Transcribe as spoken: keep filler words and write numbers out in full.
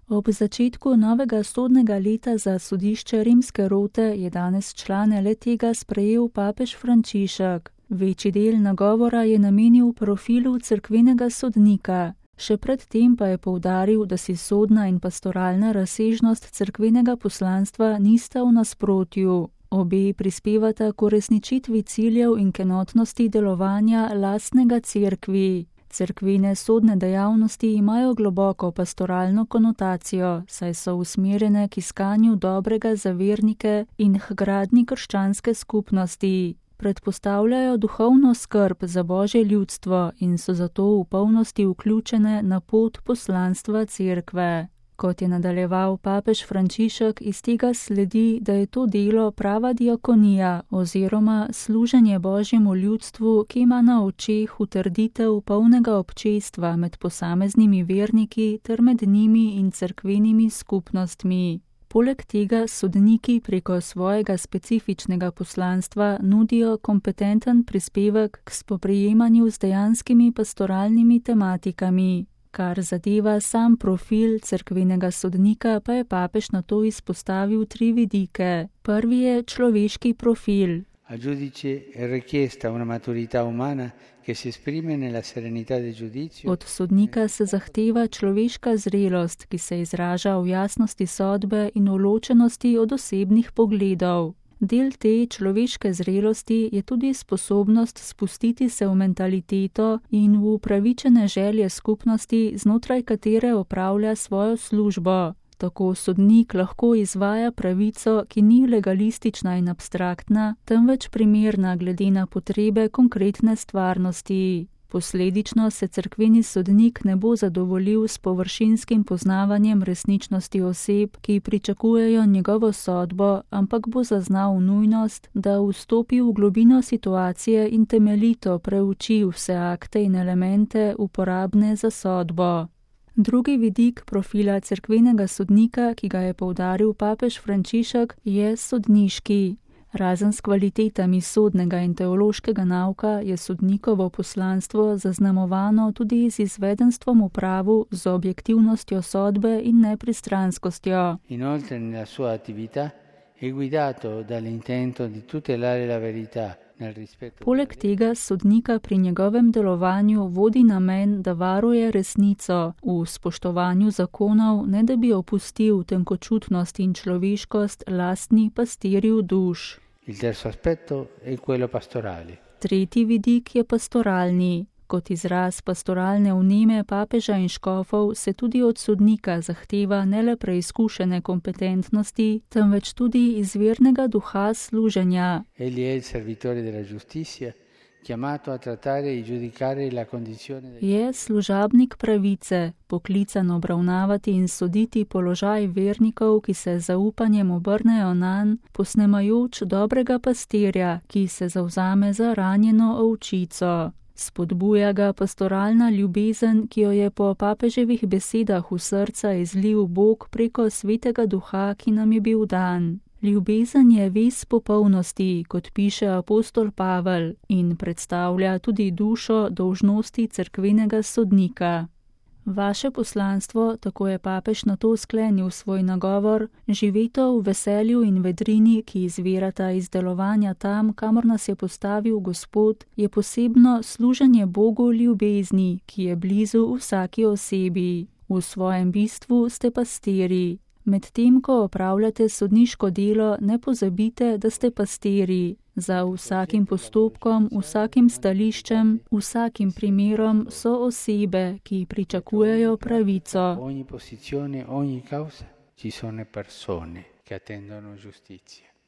Ob začetku novega sodnega leta za sodišče rimske rote je danes člane le-tega sprejel papež Frančišek. Večji del nagovora je namenil profilu cerkvenega sodnika. Še predtem pa je poudaril, da si sodna in pastoralna razsežnost cerkvenega poslanstva nista v nasprotju. Obe prispevata k uresničitvi ciljev in k enotnosti delovanja lastnega cerkvi. Cerkvene sodne dejavnosti imajo globoko pastoralno konotacijo, saj so usmerjene k iskanju dobrega za vernike in k gradnji krščanske skupnosti. Predpostavljajo duhovno skrb za Božje ljudstvo in so zato v polnosti vključene na pot poslanstva cerkve. Kot je nadaljeval papež Frančišek, iz tega sledi, da je to delo prava diakonija oziroma služenje Božjemu ljudstvu, ki ima na očeh utrditev polnega občestva med posameznimi verniki ter med njimi in cerkvenimi skupnostmi. Poleg tega sodniki preko svojega specifičnega poslanstva nudijo kompetenten prispevek k spoprijemanju z dejanskimi pastoralnimi tematikami. Kar zadeva sam profil cerkvenega sodnika, pa je papež na to izpostavil tri vidike. Prvi je človeški profil. Al giudice è richiesta una maturità umana che si esprime nella serenità del giudizio. Od sodnika se zahteva človeška zrelost, ki se izraža v jasnosti sodbe in v ločenosti od osebnih pogledov. Del te človeške zrelosti je tudi sposobnost spustiti se v mentaliteto in v upravičene želje skupnosti, znotraj katere opravlja svojo službo. Tako sodnik lahko izvaja pravico, ki ni legalistična in abstraktna, temveč primerna glede na potrebe konkretne stvarnosti. Posledično se cerkveni sodnik ne bo zadovoljil s površinskim poznavanjem resničnosti oseb, ki pričakujejo njegovo sodbo, ampak bo zaznal nujnost, da vstopi v globino situacije in temeljito preuči vse akte in elemente uporabne za sodbo. Drugi vidik profila cerkvenega sodnika, ki ga je poudaril papež Frančišek, je sodniški. Razen s kvalitetami sodnega in teološkega nauka je sodnikovo poslanstvo zaznamovano tudi z izvedenstvom v pravu, z objektivnostjo sodbe in nepristranskostjo. Inoltre nella sua attività è guidato dall'intento di tutelare la verità. Poleg tega sodnika pri njegovem delovanju vodi namen, da varuje resnico v spoštovanju zakonov, ne da bi opustil tenkočutnost in človeškost lastni pastirju duš. Il terzo aspetto è quello pastorale. Tretji vidik je pastoralni. Kot izraz pastoralne vneme papeža in škofov se tudi od sodnika zahteva ne le preizkušene kompetentnosti, temveč tudi izvirnega duha služenja. Egli è il servitore della giustizia, chiamato a trattare e giudicare la condizione. Je služabnik pravice, poklican obravnavati in soditi položaj vernikov, ki se z zaupanjem obrnejo nanj, posnemajoč dobrega pastirja, ki se zavzame za ranjeno ovčico. Spodbuja ga pastoralna ljubezen, ki jo je po papeževih besedah v srca izlil Bog preko svetega duha, ki nam je bil dan. Ljubezen je ves popolnosti, kot piše apostol Pavel, in predstavlja tudi dušo dolžnosti cerkvenega sodnika. Vaše poslanstvo, tako je papež na to sklenil svoj nagovor, živeto v veselju in vedrini, ki izvirata iz delovanja tam, kamor nas je postavil Gospod, je posebno služenje Bogu ljubezni, ki je blizu vsaki osebi. V svojem bistvu ste pastiri. Medtem, ko opravljate sodniško delo, ne pozabite, da ste pastiri. Za vsakim postopkom, vsakim stališčem, vsakim primerom so osebe, ki pričakujejo pravico. Ogni posizione, ogni causa, ci sono persone che attendono giustizia.